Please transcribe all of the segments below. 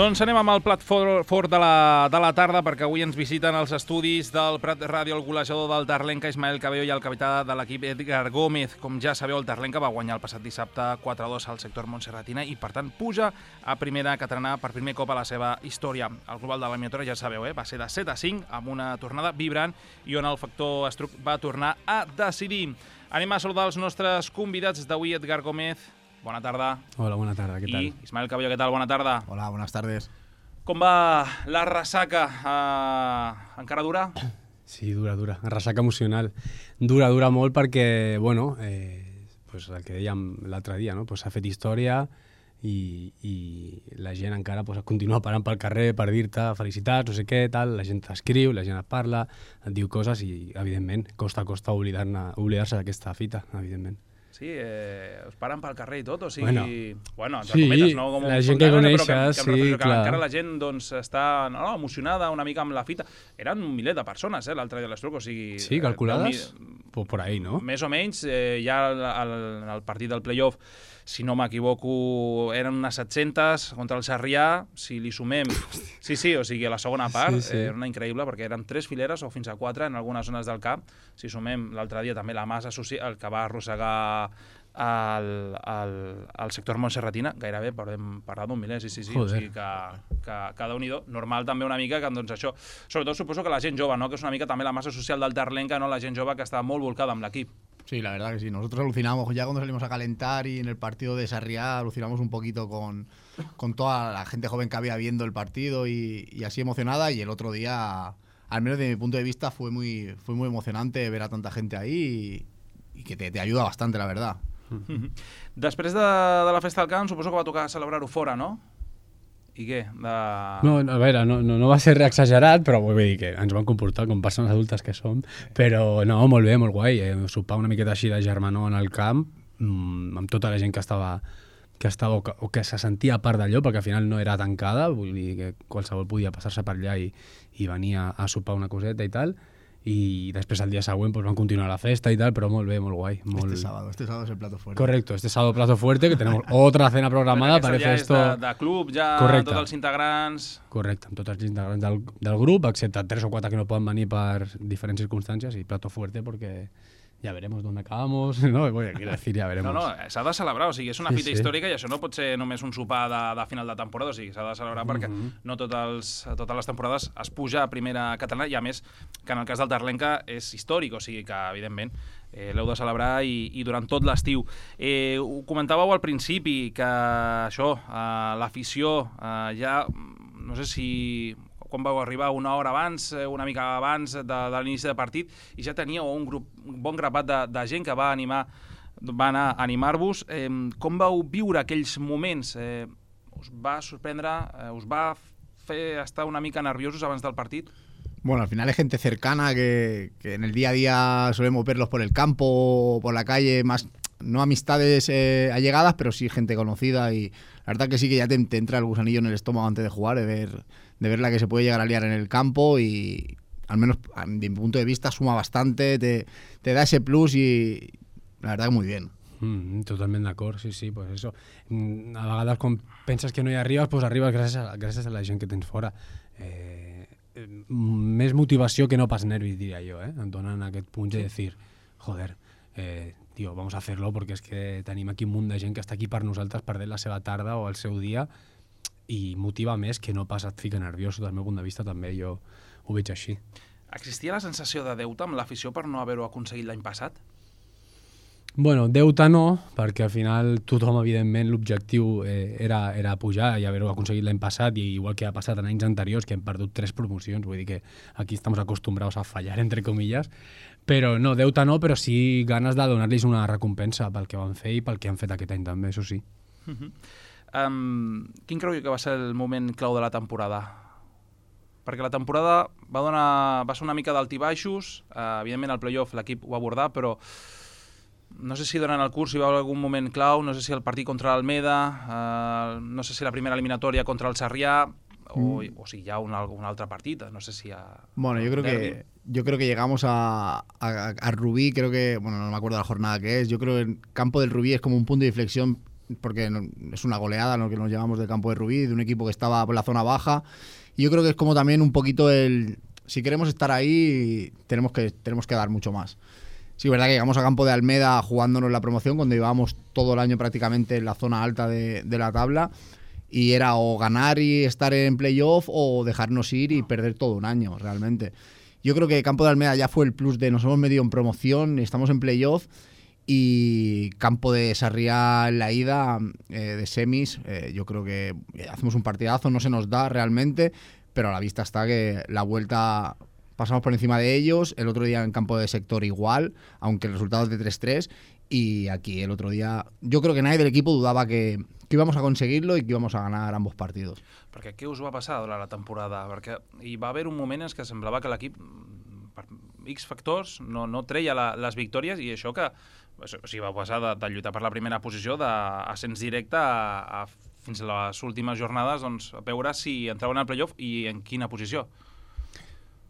Doncs anem amb el plat fort de la tarda, perquè avui ens visiten els estudis del Prat Ràdio el golejador del Terlenca, Ismael Cabello, i el capità de l'equip, Edgar Gómez. Com ja sabeu, el Terlenca va guanyar el passat dissabte 4-2 al sector Montserratina i, per tant, puja a primera catalana per primer cop a la seva història. El global de l'eliminatòria, ja sabeu, va ser de 7-5, amb una tornada vibrant i on el factor Estruc va tornar a decidir. Anem a saludar els nostres convidats d'avui, Edgar Gómez. Bona tarda. Hola, bona tarda, què tal? I Ismael Cabello, què tal? Bona tarda. Hola, buenas tardes. Com va la ressaca? Encara dura? Sí, dura. Ressaca emocional. Dura molt perquè, bueno, pues el que dèiem l'altre dia, no? Pues s'ha fet història i la gent encara pues, continua parant pel carrer per dir-te felicitats, no sé què, tal. La gent t'escriu, la gent et parla, et diu coses i, evidentment, costa oblidar-se d'aquesta fita, evidentment. Sí, us paren pel carrer i tot, o sigui... Bueno, entre sí, cometes, no? Com la gent que coneixes, sí, clar. Encara la gent doncs, està emocionada una mica amb la fita. Eren un miler de persones, l'altre dia a l'Estruc, o sigui... Sí, calculades? Pues por ahí, no? Més o menys, ja el partit del play-off, si no m'equivoco, eren unes 700 contra el Sarrià, si li sumem... Sí, o sigui, a la segona part, era una increïble, perquè eren 3 fileres o fins a 4 en algunes zones del camp. Si sumem l'altre dia també la massa social, el que va arrossegar al sector Montserratina, gairebé podem parlar d'un miler, sí. O sigui que cada unido, normal també una mica que doncs això, sobretot suposo que la gent jove, no? Que és una mica també la massa social del Terlenca, no? La gent jove que està molt volcada amb l'equip. Sí, la verdad que sí. Nosotros alucinamos ya cuando salimos a calentar y en el partido de Sarriá alucinamos un poquito con toda la gente joven que había viendo el partido y así emocionada, y el otro día, al menos desde mi punto de vista, fue muy emocionante ver a tanta gente ahí y que te ayuda bastante, la verdad. Després de la festa del camp, suposo que va tocar celebrar-ho fora, no? I què? No, a veure, no va ser exagerat, però vull dir que ens van comportar com persones adultes que som, però no, molt bé, molt guai. Sopar una miqueta així de germanor en el camp, amb tota la gent que estava o que se sentia a part d'allò, perquè al final no era tancada, vull dir que qualsevol podia passar-se per allà i venir a sopar una coseta i tal, i després el dia següent pues, van continuar la festa y tal, pero muy bien, muy guay. Este sábado es el plato fuerte. Correcto, este sábado plato fuerte, que tenemos otra cena programada. Parece esto... de club, ja correcte. Tots els integrants... Correcte, amb tots els integrants del grup, excepte 3 o 4 que no poden venir per diferents circumstàncies, i plato fuerte porque ya veremos dónde acabamos, ¿no? Quiero decir, ya veremos. No, s'ha de celebrar, o sigui, és una fita històrica i això no pot ser només un sopar de final de temporada, o sigui, s'ha de celebrar perquè no totes les temporades es puja a primera catalana, i a més que en el cas del Terlenca és històric, o sigui que evidentment l'heu de celebrar i durant tot l'estiu. Ho comentàveu al principi que això, l'afició ja, no sé si... quan vau arribar una hora abans, una mica abans de l'inici de partit, i ja teníeu un bon grapat de gent que va anar a animar-vos. Com vau viure aquells moments? Us va sorprendre? Us va fer estar una mica nerviosos abans del partit? Bueno, al final es gente cercana que en el día a día solemos verlos por el campo o por la calle, más no amistades allegadas, pero sí gente conocida, y la verdad que sí que ya te entra el gusanillo en el estómago antes de jugar, de ver la que se puede llegar a liar en el campo, y al menos de mi punto de vista suma bastante, te da ese plus y la verdad que muy bien. Totalment d'acord, sí, pues eso. A vegades quan penses que no hi arribes, pues arribes gràcies a la gent que tens fora. Més motivació que no pas nervis, diria jo, em donen aquest punt de dir, joder, tío, vamos a hacerlo porque es que tenim aquí un munt de gent que està aquí per nosaltres perdent la seva tarda o el seu dia, i motiva més que no pas et fica nerviós. Del meu punt de vista també jo ho veig així. Existia la sensació de deute amb l'afició per no haver-ho aconseguit l'any passat? Bueno, deute no, perquè al final tothom, evidentment, l'objectiu era pujar i haver-ho aconseguit l'any passat, i igual que ha passat en anys anteriors, que hem perdut 3 promocions, vull dir que aquí estem acostumbrados a fallar, entre comillas, però no, deute no, però sí ganes de donar-los una recompensa pel que van fer i pel que han fet aquest any també, això sí. Quin creu que va ser el moment clau de la temporada? Perquè la temporada va ser una mica d'altibaixos, evidentment el play-off l'equip ho va abordar, però no sé si durant el curs hi va haver algun moment clau, no sé si el partit contra l'Almeda, no sé si la primera eliminatòria contra el Sarrià, o si hi ha un altre partit, no sé si hi ha... Bueno, yo creo que llegamos a Rubí, creo que, bueno, no me acuerdo de la jornada que es, yo creo que el campo del Rubí es como un punto de inflexión porque es una goleada lo que nos llevamos del campo de Rubí, de un equipo que estaba por la zona baja. Y yo creo que es como también un poquito si queremos estar ahí, tenemos que dar mucho más. Sí, es verdad que llegamos a campo de Almeda jugándonos la promoción cuando llevábamos todo el año prácticamente en la zona alta de la tabla, y era o ganar y estar en playoff o dejarnos ir y perder todo un año realmente. Yo creo que campo de Almeda ya fue el plus de nos hemos metido en promoción, estamos en playoff, y campo de Sarriá en la ida de semis, yo creo que hacemos un partidazo, no se nos da realmente, pero a la vista está que la vuelta pasamos por encima de ellos, el otro día en campo de sector igual, aunque el resultado es de 3-3, y aquí el otro día yo creo que nadie del equipo dudava que íbamos a conseguirlo i que íbamos a ganar ambos partidos. Perquè què us va passar durant la temporada? Perquè hi va haver un moment en què semblava que l'equip, per X factors, no treia les victòries, i això que va passar de lluitar per la primera posició, d'ascens directe fins a les últimes jornades, doncs, a veure si entraven al playoff i en quina posició.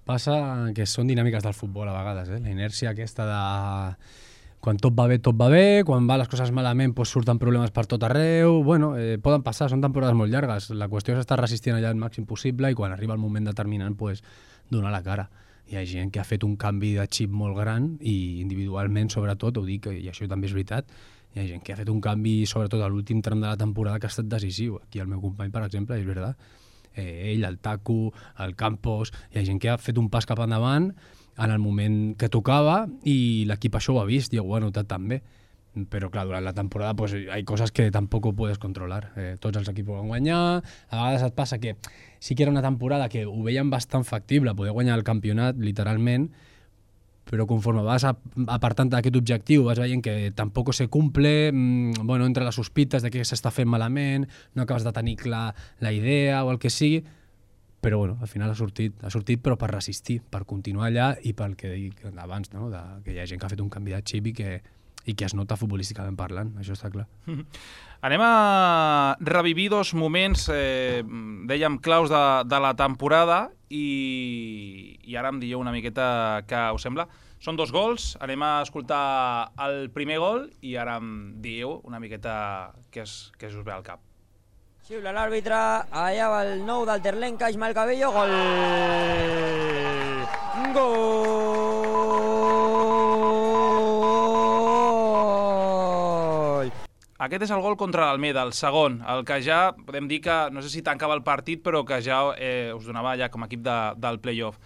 Passa que són dinàmiques del futbol a vegades, la inèrcia aquesta de quan tot va bé, quan va les coses malament doncs surten problemes per tot arreu, bueno, poden passar, són temporades molt llargues, la qüestió és estar resistint allà el màxim possible i quan arriba el moment determinant doncs donar la cara. Hi ha gent que ha fet un canvi de xip molt gran i individualment sobretot, ho dic, i això també és veritat, hi ha gent que ha fet un canvi sobretot a l'últim tram de la temporada que ha estat decisiu. Aquí el meu company, per exemple, és veritat, ell, el Taku, el Campos, hi ha gent que ha fet un pas cap endavant en el moment que tocava i l'equip això ho ha vist i ho ha notat també. Però clar, durant la temporada pues, hay cosas que tampoco puedes controlar. Tots els equips van guanyar, a vegades et passa que sí que era una temporada que ho veien bastant factible, poder guanyar el campionat literalment, però conforme vas apartant d'aquest objectiu vas veient que tampoc se cumple, bueno, entre les sospites de que s'està fent malament, no acabes de tenir clar la idea o el que sigui, però bueno, al final ha sortit però per resistir, per continuar allà i pel que dic abans, no? Que hi ha gent que ha fet un canvi de xip i que es nota futbolísticament parlant, això està clar. Anem a revivir dos moments, dèiem, claus de la temporada i ara em dieu una miqueta què us sembla. Són dos gols, anem a escoltar el primer gol i ara em dieu una miqueta què us ve al cap. Xiula l'àrbitre, allà va el nou del Terlenca, Ismael Cabello, gol! Gol! Aquest és el gol contra l'Almeda, el segon, el que ja podem dir que, no sé si tancava el partit, però que ja us donava ja com a equip del playoff.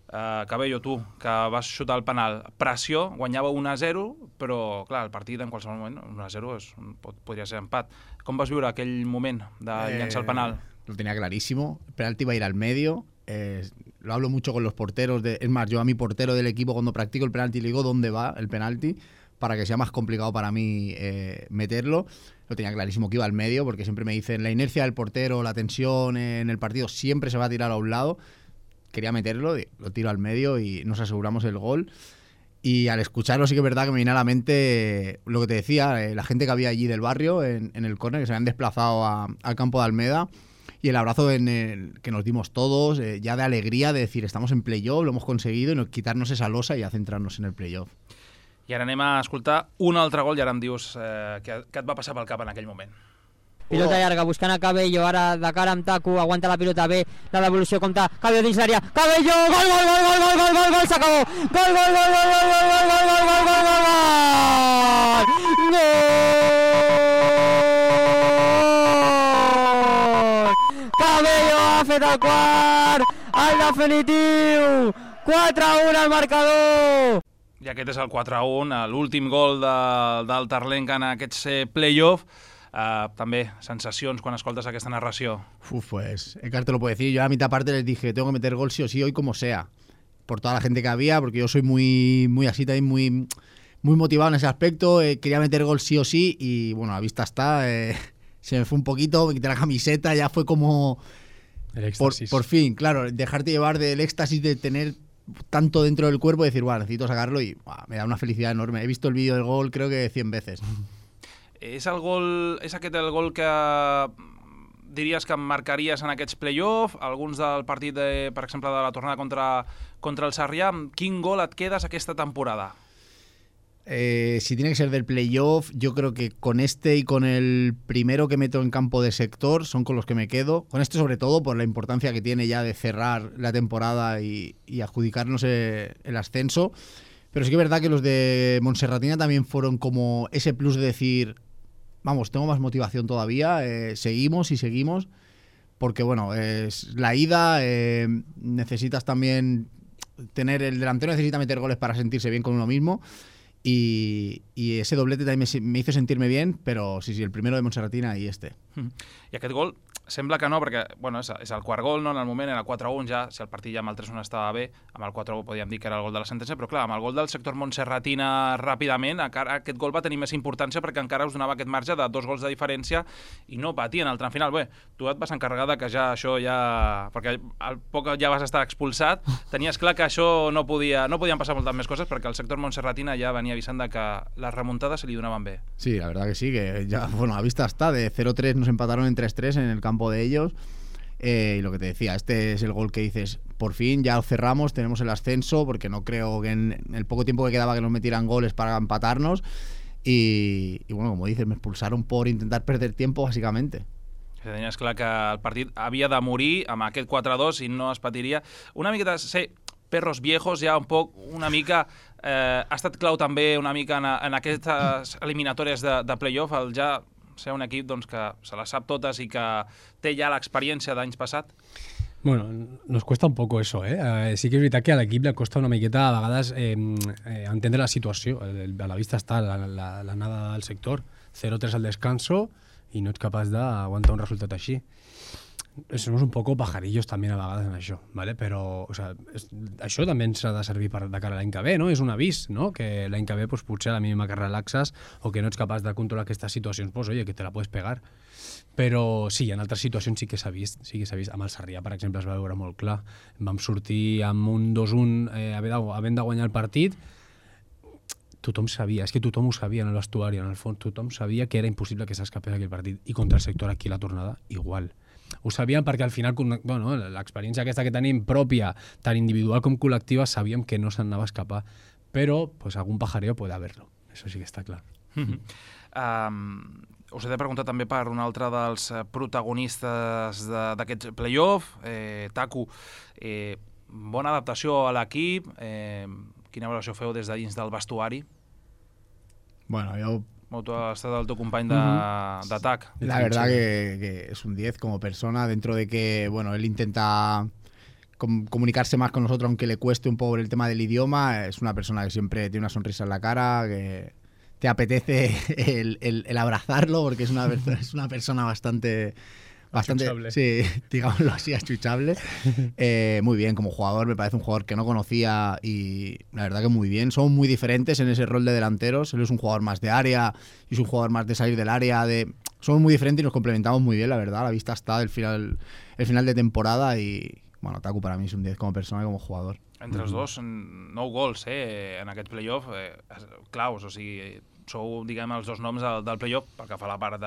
Cabello, tu, que vas xutar el penal, pressió, guanyava 1-0, però clar, el partit en qualsevol moment 1-0 podria ser empat. Com vas viure aquell moment de llançar el penal? Lo tenía clarísimo, el penalti iba a ir al medio, lo hablo mucho con los porteros, es más, yo a mi portero del equipo cuando practico el penalti le digo dónde va el penalti, para que sea más complicado para mí meterlo. Lo tenía clarísimo que iba al medio, porque siempre me dicen la inercia del portero, la tensión en el partido siempre se va a tirar a un lado. Quería meterlo, lo tiro al medio y nos aseguramos el gol. Y al escucharlo sí que es verdad que me viene a la mente lo que te decía, la gente que había allí del barrio en el córner, que se habían desplazado al campo de Almeda, y el abrazo que nos dimos todos, ya de alegría, de decir estamos en playoff, lo hemos conseguido, y quitarnos esa losa y ya centrarnos en el playoff. I ara anem a escoltar un altre gol i ara em dius què et va passar pel cap en aquell moment. Pilota llarga, buscant a Cabello, ara de cara amb Taku, aguanta la pilota bé, la devolució compta, Cabello dins l'àrea, Cabello, gol, gol, gol, gol, gol, gol, gol, gol, s'acabó, gol, gol, gol, gol, gol, gol, gol, gol, gol, gol, gol, gol! Cabello ha fet el quart, el definitiu, 4-1 al marcador! I aquest és el 4-1, l'últim gol del Terlenca en aquests play-off. També, sensacions quan escoltes aquesta narració. Pues Edgar te lo puede decir. Yo a la mitad parte les dije, tengo que meter gol sí o sí hoy como sea. Por toda la gente que había, porque yo soy muy así también, muy motivado en ese aspecto. Quería meter gol sí o sí y bueno, a la vista está. Se me fue un poquito, me quité la camiseta, ya fue como... El éxtasis. Por fin, claro, dejarte llevar del éxtasis de tener tanto dentro del cuerpo y decir, bueno, necesito sacarlo y me da una felicidad enorme. He visto el vídeo del gol creo que 100 veces. És aquest el gol que diries que marcaries en aquests play-off, alguns del partit, per exemple, de la tornada contra el Sarrià. Quin gol et quedes aquesta temporada? Si tiene que ser del playoff, yo creo que con este y con el primero que meto en campo de sector son con los que me quedo. Con este sobre todo por la importancia que tiene ya de cerrar la temporada y adjudicarnos el ascenso. Pero sí que es verdad que los de Montserratina también fueron como ese plus de decir, vamos, tengo más motivación todavía, seguimos y seguimos. Porque bueno, es la ida, necesitas también tener, el delantero necesita meter goles para sentirse bien con uno mismo. Y ese doblete también me hizo sentirme bien, però sí, el primero de Montserratina i este. I aquest gol sembla que no, perquè bueno, és el quart gol, no? En el moment era el 4-1, ja, si el partit ja amb el 3-1 estava bé, amb el 4-1 podíem dir que era el gol de la sentència, però clar, amb el gol del sector Montserratina ràpidament, aquest gol va tenir més importància perquè encara us donava aquest marge de 2 gols de diferència i no patien el tram final. Bé, tu et vas encarregar que ja això ja... perquè al poc ja vas estar expulsat, tenies clar que això no podien passar moltes més coses perquè el sector Montserratina ja venia avisant de que les remuntades se li donaven bé. Sí, la verdad que sí, que ya, bueno, a vista está, de 0-3 nos empataron en 3-3 en el campo de ellos. Y lo que te decía, este es el gol que dices, por fin ya lo cerramos, tenemos el ascenso, porque no creo que en el poco tiempo que quedaba que nos metieran goles para empatarnos. Y bueno, como dices, me expulsaron por intentar perder tiempo, básicamente. Tenies clar que el partit havia de morir amb aquest 4-2 i no es patiria. Una mica de ser perros viejos, ja un poc, una mica... ha estat clau també una mica en aquestes eliminatòries de playoff, el ja ser un equip doncs, que se les sap totes i que té ja l'experiència d'anys passat? Bueno, nos cuesta un poco eso, ¿eh? Sí que es veritat que a l'equip le costa una miqueta a vegades entendre la situació. A la vista està l'anada del sector, 0-3 al descanso i no ets capaç d'aguantar un resultat així. Somos un poco pajarillos també a vegades en això, ¿vale? Però o sea, això també ens ha de servir de cara a l'any que ve, no? És un avís, no? Que l'any que ve pues, potser a la mínima que relaxes o que no ets capaç de controlar aquestes situacions, pues oye, que te la puedes pegar. Però sí, en altres situacions sí que s'ha vist. Amb el Sarrià, per exemple, es va veure molt clar. Vam sortir amb un 2-1 havent de guanyar el partit. Tothom sabia, és que tothom ho sabia en l'estuari, en el fons, tothom sabia que era impossible que s'escapés aquell partit. I contra el sector aquí la tornada, igual. Ho sabíem perquè al final bueno, l'experiència aquesta que tenim pròpia, tant individual com col·lectiva, sabíem que no se'n anava a escapar. Però pues, algun pajareo puede haberlo. Eso sí que està clar. Us he de preguntar també per un altre dels protagonistes d'aquests play-off, Taku. Bona adaptació a l'equip. Quina valoració feu des de dins del vestuari? Bueno, yo... Tu has estat el teu company d'atac. La verdad que es un 10 como persona, dentro de que bueno, él intenta comunicarse más con nosotros, aunque le cueste un poco el tema del idioma. Es una persona que siempre tiene una sonrisa en la cara, que te apetece el abrazarlo, porque es una persona bastante achuchable. Sí, digámoslo así, achuchable. Muy bien, como jugador me parece un jugador que no conocía y la verdad que muy bien. Somos muy diferentes en ese rol de delanteros. Él es un jugador más de área y es un jugador más de salir del área. Somos muy diferentes y nos complementamos muy bien, la verdad. A la vista está el final de temporada y bueno, Taku para mí es un 10 como persona y como jugador. Entre els dos, 9 gols en aquest playoff, claus, o sigui, sou, diguem, els dos noms del playoff pel que fa a la part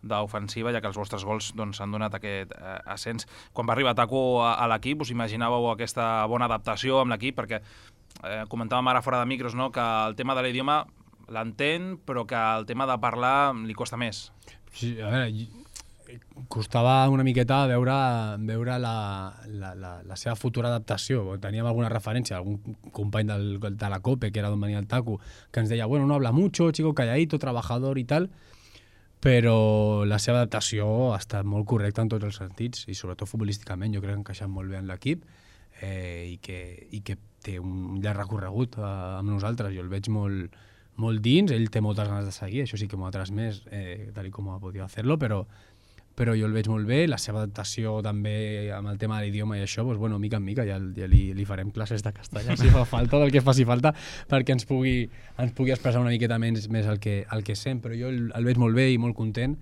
d'ofensiva, ja que els vostres gols s'han donat aquest ascens. Quan va arribar Taku a l'equip, us imaginàveu aquesta bona adaptació amb l'equip? Perquè comentàvem ara fora de micros, no?, que el tema de l'idioma l'entén, però que el tema de parlar li costa més. Sí, a veure, costava una miqueta veure la seva futura adaptació. Teníem alguna referència, algun company de la COPE, que era d'on venia el Taku, que ens deia, bueno, no habla mucho, chico calladito, trabajador i tal, però la seva adaptació ha estat molt correcta en tots els sentits i sobretot futbolísticament jo crec que ha encaixat molt bé en l'equip i que té un llarg recorregut amb nosaltres. Jo el veig molt dins, ell té moltes ganes de seguir, això sí que m'ho ha transmès tal com ha pogut fer-lo, però jo el veig molt bé, la seva adaptació també amb el tema de l'idioma i això, doncs, bueno, mica en mica ja li farem classes de castellà si fa falta, del que faci falta, perquè ens pugui expressar una miqueta més el que sent, però jo el veig molt bé i molt content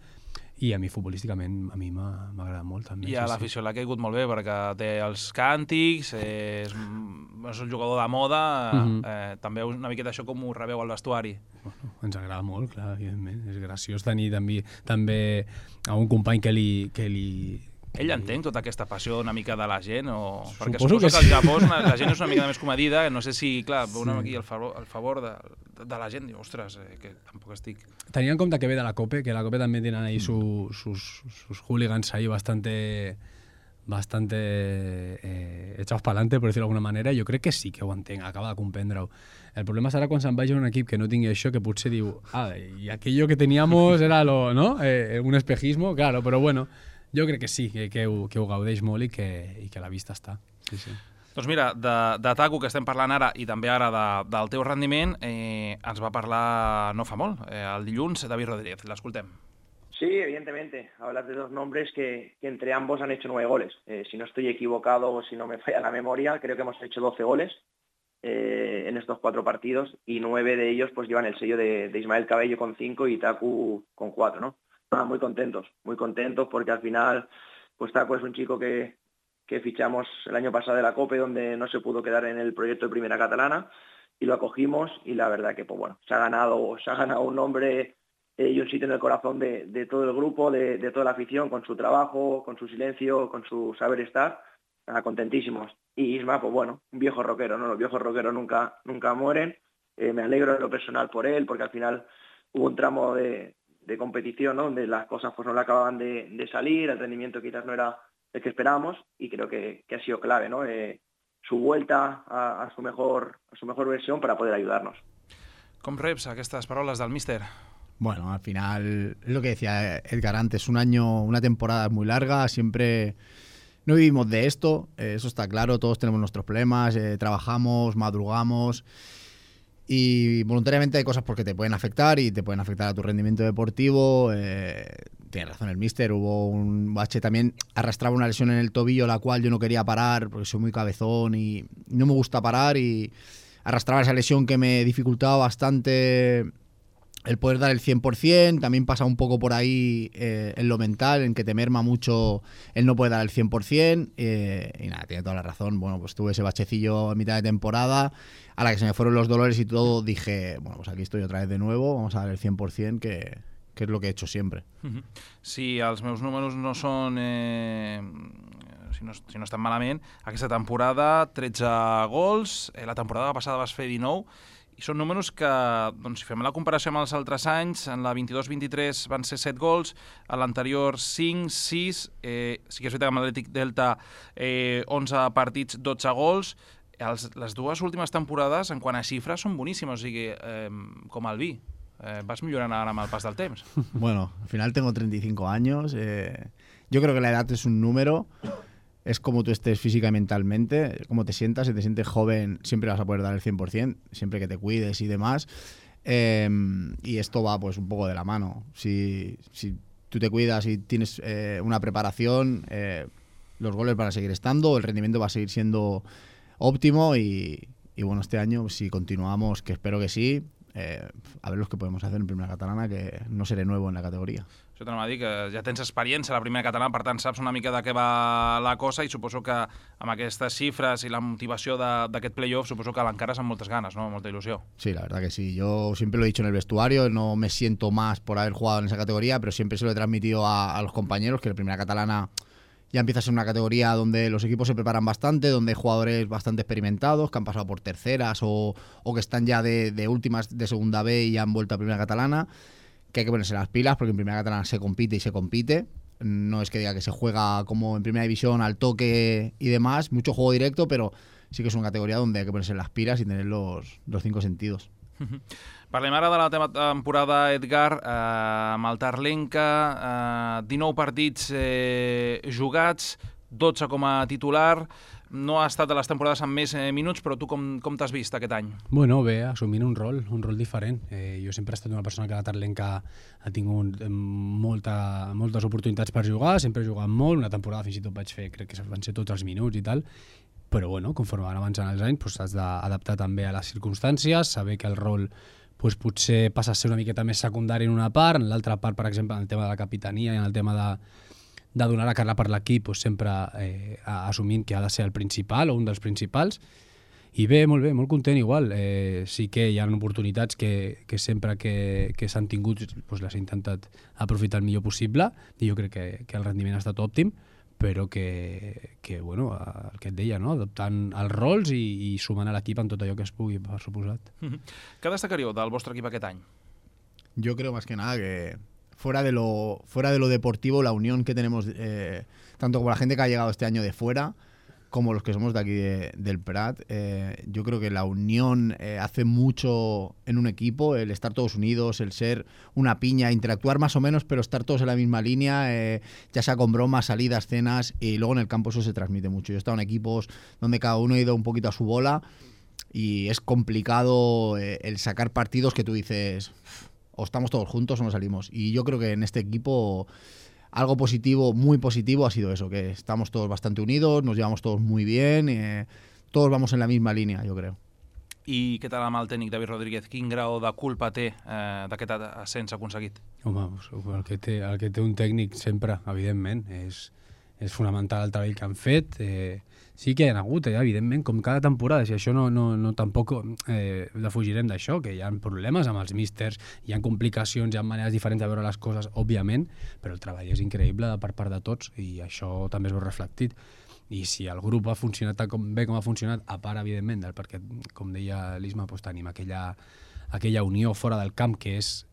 i a mi futbolísticament a mi m'ha agradat molt també. I a l'afició l'ha caigut molt bé perquè té els càntics, és un jugador de moda, també una miqueta això com ho rebeu al vestuari. Bueno, ens agrada molt, clar, evidentment. És graciós tenir també a un company que li... Ell entén tota aquesta passió una mica de la gent? Perquè suposo que al Japó la gent és una mica més comedida, no sé si, clar, aquí el favor de la gent, diu, ostres, que tampoc estic... Tenint en compte que ve de la COPE, que la COPE també tenen ahí sus hooligans ahí bastante echados para adelante, por decirlo d'alguna manera, jo crec que sí que ho entenc, acaba de comprendre-ho. El problema serà quan se'n vagi a un equip que no tingui això, que potser diu, y aquello que teníamos era ¿no? Un espejismo, claro, però bueno, jo crec que sí, que ho gaudeix molt i que la vista està. Sí, sí. Doncs mira, de Taku, que estem parlant ara, i també ara del teu rendiment, ens va parlar no fa molt, el dilluns, David Rodríguez. L'escoltem. Sí, evidentemente. Hablas de dos nombres que entre ambos han hecho 9 goles. Si no estoy equivocado o si no me falla la memoria, creo que hemos hecho 12 goles en estos 4 partidos y 9 de ellos pues llevan el sello de Ismael Cabello con 5 y Taku con 4, ¿no? Muy contentos porque al final pues Taku es un chico que fichamos el año pasado de la COPE, donde no se pudo quedar en el proyecto de Primera Catalana, y lo acogimos y la verdad que pues bueno, se ha ganado un nombre y un sitio en el corazón de todo el grupo, de toda la afición, con su trabajo, con su silencio, con su saber estar, contentísimos. Y Isma, pues bueno, un viejo rockero, ¿no? Los viejos rockeros nunca mueren. Me alegro en lo personal por él, porque al final hubo un tramo de competición, ¿no? Donde las cosas pues no le acababan de salir, el rendimiento quizás no era el que esperábamos, y creo que ha sido clave, ¿no? Su vuelta a su mejor versión para poder ayudarnos. Com reps aquestes paraules del míster? Bueno, al final es lo que decía Edgar antes, una temporada muy larga, siempre no vivimos de esto, eso está claro, todos tenemos nuestros problemas, trabajamos, madrugamos y voluntariamente hay cosas porque te pueden afectar y te pueden afectar a tu rendimiento deportivo. Tiene razón el míster, hubo un bache también, arrastraba una lesión en el tobillo la cual yo no quería parar porque soy muy cabezón y no me gusta parar, y arrastraba esa lesión que me dificultaba bastante el poder dar el 100%, también pasa un poco por ahí en lo mental, en que te merma mucho el no poder dar el 100%, y nada, tiene toda la razón. Bueno, pues tuve ese bachecillo a mitad de temporada, a la que se me fueron los dolores y todo, dije, bueno, pues aquí estoy otra vez de nuevo, vamos a dar el 100%, que es lo que he hecho siempre. Si els meus números no són... si no estan malament, aquesta temporada 13 gols, la temporada passada vas fer 19, i són números que, doncs, si fem la comparació amb els altres anys, en la 22-23 van ser 7 gols, a l'anterior 5, 6, sí que és veritat que amb l'Atlètic Delta 11 partits, 12 gols. Les dues últimes temporades, en quant a xifres, són boníssimes, o sigui, com el vi. Vas millorant ara amb el pas del temps. Bueno, al final tengo 35 años. Yo creo que la edad es un número. Es como tú estés física y mentalmente, como te sientas. Si te sientes joven, siempre vas a poder dar el 100%, siempre que te cuides y demás. Y esto va pues un poco de la mano. Si tú te cuidas y tienes una preparación, los goles van a seguir estando, el rendimiento va a seguir siendo óptimo y bueno, este año, si continuamos, que espero que sí, a ver los que podemos hacer en Primera Catalana, que no seré nuevo en la categoría. Això t'anava a dir, que ja tens experiència a la Primera Catalana, per tant saps una mica de què va la cosa, i suposo que amb aquestes xifres i la motivació d'aquest play-off suposo que l'encares amb moltes ganes, ¿no? Molta ilusió. Sí, la verdad que sí. Yo siempre lo he dicho en el vestuario, no me siento más por haber jugado en esa categoría, pero siempre se lo he transmitido a los compañeros, que la Primera Catalana ya empieza a ser una categoría donde los equipos se preparan bastante, donde hay jugadores bastante experimentados, que han pasado por terceras o que están ya de últimas de segunda B y han vuelto a Primera Catalana, que hay que ponerse las pilas, porque en Primera Catalana se compite y se compite. No es que diga que se juega como en Primera División al toque y demás, mucho juego directo, pero sí que es una categoría donde hay que ponerse las pilas y tener los 5 sentidos. Parlem ara de la temporada, Edgar, amb el Tarlenca, 19 partits jugats, 12 com a titular. No ha estat de les temporades amb més minuts, però tu com t'has vist aquest any? Bueno, bé, assumint un rol diferent. Jo sempre he estat una persona que a la Tarlenca ha tingut moltes oportunitats per jugar, sempre he jugat molt, una temporada fins i tot vaig fer, crec que van ser tots els minuts i tal, però bueno, conforme van avançant els anys, doncs has d'adaptar també a les circumstàncies, saber que el rol doncs potser passa a ser una miqueta més secundari en una part, en l'altra part, per exemple, en el tema de la capitania i en el tema de donar la cara per l'equip, doncs sempre assumint que ha de ser el principal o un dels principals. I bé, molt content igual. Sí que hi ha oportunitats que sempre que s'han tingut doncs les he intentat aprofitar el millor possible i jo crec que el rendiment ha estat òptim, però que bueno, el que et deia, no? Adoptant els rols i sumant a l'equip en tot allò que es pugui, per suposat. Què destacaríeu del vostre equip aquest any? Yo creo más que nada que fuera de lo deportivo, la unión que tenemos, tanto como la gente que ha llegado este año de fuera, como los que somos de aquí del Prat, yo creo que la unión hace mucho en un equipo, el estar todos unidos, el ser una piña, interactuar más o menos, pero estar todos en la misma línea, ya sea con bromas, salidas, cenas, y luego en el campo eso se transmite mucho. Yo he estado en equipos donde cada uno ha ido un poquito a su bola y es complicado el sacar partidos que tú dices, o estamos todos juntos o no salimos. Y yo creo que en este equipo algo positivo, muy positivo, ha sido eso, que estamos todos bastante unidos, nos llevamos todos muy bien, todos vamos en la misma línea, yo creo. I què tal amb el tècnic David Rodríguez? Quin grau de culpa té d'aquest ascens aconseguit? Home, el que té un tècnic sempre, evidentment, és fonamental el treball que han fet. Sí que hi ha hagut, evidentment, com cada temporada, si això no tampoc defugirem d'això, que hi ha problemes amb els místers, hi ha complicacions, hi ha maneres diferents de veure les coses, òbviament, però el treball és increïble per part de tots i això també es veu reflectit. I si el grup ha funcionat bé com ha funcionat, a part, evidentment, perquè, com deia l'Isma, tenim aquella unió fora del camp que és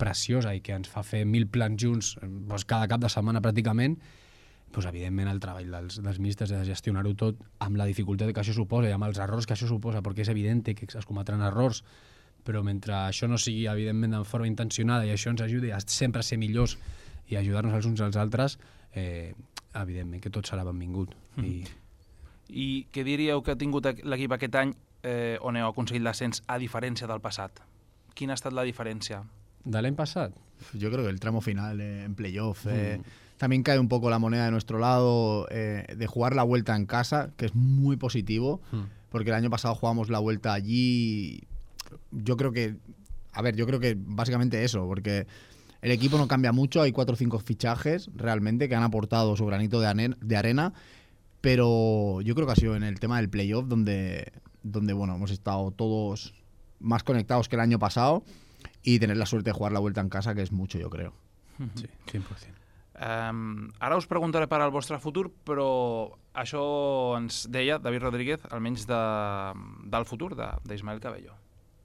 preciosa i que ens fa fer 1000 plans junts cada cap de setmana pràcticament, evidentment el treball dels místers de gestionar-ho tot amb la dificultat que això suposa i amb els errors que això suposa, perquè és evident que es cometran errors, però mentre això no sigui evidentment de forma intencionada i això ens ajudi a sempre ser millors i ajudar-nos els uns als altres, evidentment que tot serà benvingut. I què diríeu que ha tingut l'equip aquest any on heu aconseguit l'ascens a diferència del passat? Quina ha estat la diferència? ¿De l'any passat? Yo creo que el tramo final en playoff también cae un poco la moneda de nuestro lado de jugar la vuelta en casa, que es muy positivo, porque el año pasado jugamos la vuelta allí. Yo creo que básicamente eso, porque el equipo no cambia mucho, hay 4 o 5 fichajes realmente que han aportado su granito de arena, pero yo creo que ha sido en el tema del playoff donde bueno, hemos estado todos más conectados que el año pasado y tener la suerte de jugar la vuelta en casa, que es mucho, yo creo. Sí, 100%. Ara us preguntaré per al vostre futur, però això ens deia David Rodríguez, almenys del futur d'Ismael Cabello.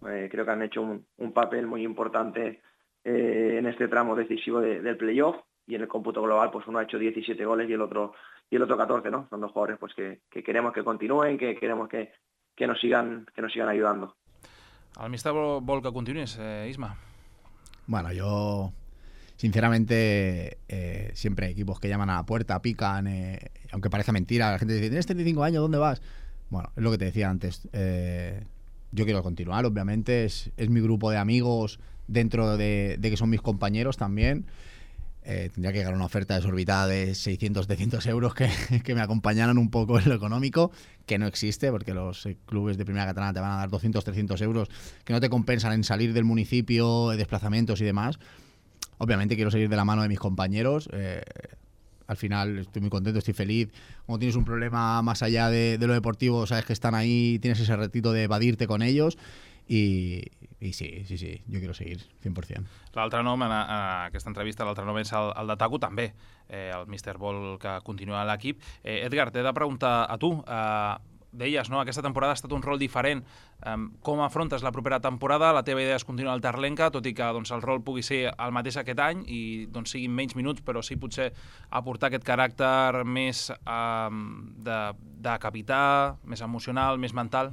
Creo que han hecho un papel muy importante en este tramo decisivo del playoff, y en el cómputo global pues uno ha hecho 17 goles y el otro 14, ¿no? Son dos jugadores pues que queremos que continúen, que queremos que nos sigan ayudando. El míster vol que continuïs, Isma? Bueno, yo sinceramente siempre hay equipos que llaman a la puerta, pican, aunque parezca mentira, la gente dice, tienes 35 años, ¿dónde vas? Bueno, es lo que te decía antes, yo quiero continuar, obviamente, es mi grupo de amigos dentro de que son mis compañeros también. Tendría que llegar a una oferta desorbitada de 600, 700 euros que me acompañaran un poco en lo económico, que no existe, porque los clubes de primera catalana te van a dar 200, 300 euros que no te compensan en salir del municipio, desplazamientos y demás. Obviamente quiero seguir de la mano de mis compañeros. Al final estoy muy contento, estoy feliz. Como tienes un problema más allá de lo deportivo, sabes que están ahí, tienes ese ratito de evadirte con ellos. I sí, jo quiero seguir, 100%. L'altre nom en aquesta entrevista, l'altre nom és el de Taku, també. El míster vol que continuï a l'equip. Edgar, t'he de preguntar a tu. Deies, no? Aquesta temporada ha estat un rol diferent. Com afrontes la propera temporada? La teva idea és continuar al Terlenca, tot i que doncs, el rol pugui ser el mateix aquest any i doncs, siguin menys minuts, però sí potser aportar aquest caràcter més de capità, més emocional, més mental.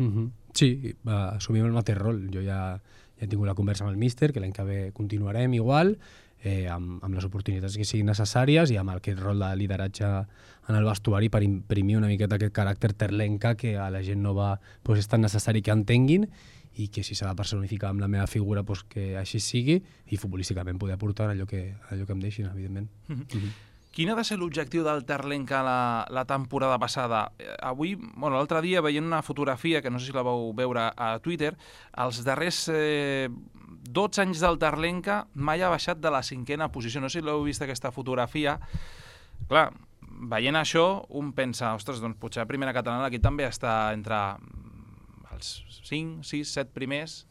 Sí, assumim el mateix rol. Jo ja he tingut la conversa amb el míster, que l'any que ve continuarem igual, amb les oportunitats que siguin necessàries i amb aquest rol de lideratge en el vestuari per imprimir una miqueta aquest caràcter terlenca que a la gent nova és tan necessari que entenguin i que si s'ha de personificar amb la meva figura que així sigui i futbolísticament poder aportar allò que em deixin, evidentment. Quin ha de ser l'objectiu del Terlenca la temporada passada? Avui, l'altre dia, veient una fotografia, que no sé si la vau veure a Twitter, els darrers 12 anys del Terlenca mai ha baixat de la 5a posició. No sé si l'heu vist aquesta fotografia. Clar, veient això, un pensa, ostres, doncs potser a primera catalana aquí també està entre els 5, 6, 7 primers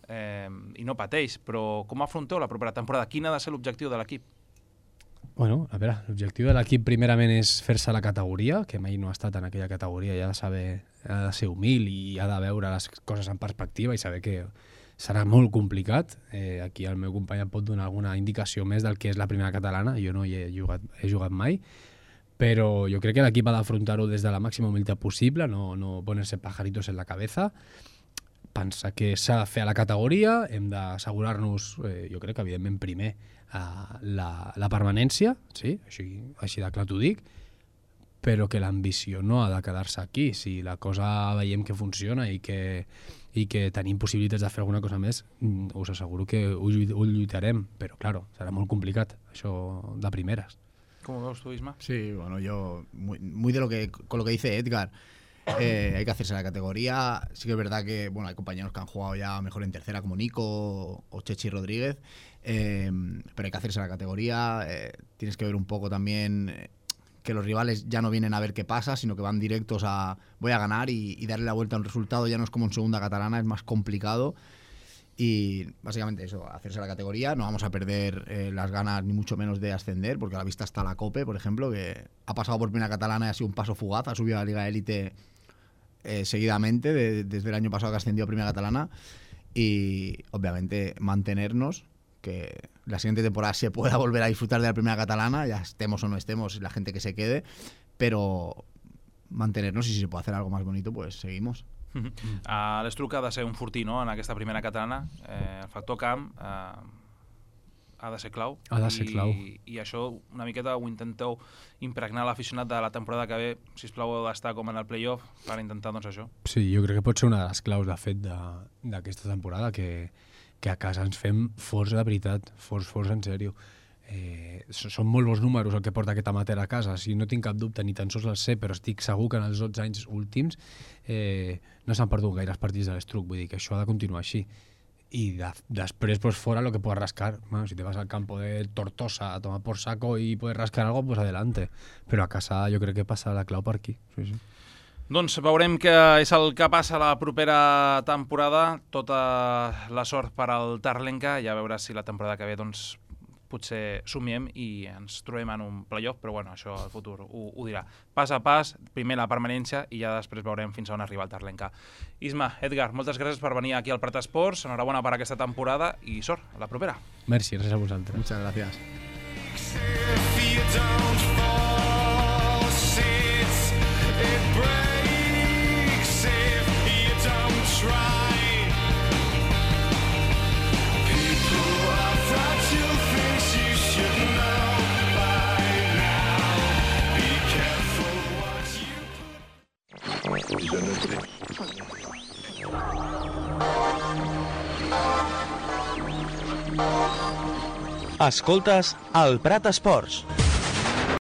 i no pateix. Però com afronteu la propera temporada? Quin ha de ser l'objectiu de l'equip? Bueno, a veure, l'objectiu de l'equip primerament és fer-se la categoria, que mai no ha estat en aquella categoria, i ha de ser humil i ha de veure les coses en perspectiva i saber que serà molt complicat. Aquí el meu company em pot donar alguna indicació més del que és la primera catalana, jo no hi he jugat mai, però jo crec que l'equip ha d'afrontar-ho des de la màxima humilitat possible, no ponerse pajaritos en la cabeza, pensar que s'ha de fer a la categoria, hem d'assegurar-nos, jo crec que evidentment primer, la permanència, sí? Així de clar t'ho dic, però que l'ambició no ha de quedar-se aquí. Si la cosa veiem que funciona i que tenim possibilitats de fer alguna cosa més, us asseguro que ho lluitarem, però claro, serà molt complicat, això de primeres. ¿Cómo ves tú, Isma? Sí, bueno, yo muy con lo que dice Edgar. Hay que hacerse la categoría. Sí que es verdad que bueno, hay compañeros que han jugado ya mejor en tercera, como Nico o Chechi Rodríguez, pero hay que hacerse la categoría. Tienes que ver un poco también que los rivales ya no vienen a ver qué pasa, sino que van directos a voy a ganar y darle la vuelta a un resultado. Ya no es como en segunda catalana, es más complicado. Y básicamente eso, hacerse la categoría. No vamos a perder las ganas ni mucho menos de ascender, porque a la vista está la COPE, por ejemplo, que ha pasado por primera catalana y ha sido un paso fugaz, ha subido a la Liga Élite seguidamente desde el año pasado que ascendió a primera catalana, y obviamente mantenernos, que la siguiente temporada se pueda volver a disfrutar de la primera catalana, ya estemos o no estemos, la gente que se quede, pero mantenernos, y si se puede hacer algo más bonito, pues seguimos. L'Estruc ha de ser un fortí, no?, en aquesta primera catalana. El factor camp ha de ser clau. Ha de ser clau. I això una miqueta ho intenteu impregnar l'aficionat de la temporada que ve. Sisplau, heu d'estar com en el play-off per intentar doncs això. Sí, jo crec que pot ser una de les claus, de fet, d'aquesta temporada, que a casa ens fem forts de veritat, forts en sèrio. Són molt bons números el que porta aquest amateur a casa, si no tinc cap dubte, ni tan sols el sé, però estic segur que en els 12 anys últims no s'han perdut gaires partits de l'Estruc, vull dir que això ha de continuar així. Y después, pues fuera lo que puedas rascar. Bueno, si te vas al campo de Tortosa a tomar por saco y puedes rascar algo, pues adelante. Però a casa jo crec que passa la clau per aquí. Sí. Doncs veurem què és el que passa la propera temporada. Tota la sort per al Terlenca, i a veure si la temporada que ve doncs, potser somiem i ens trobem en un playoff, però bueno, això el futur ho dirà. Pas a pas, primer la permanència i ja després veurem fins a on arriba el Terlenca. Isma, Edgar, moltes gràcies per venir aquí al Prat Esports, enhorabona per aquesta temporada i sort, a la propera. Merci, gràcies a vosaltres. Muchas gracias. Escoltes el Prat Esports.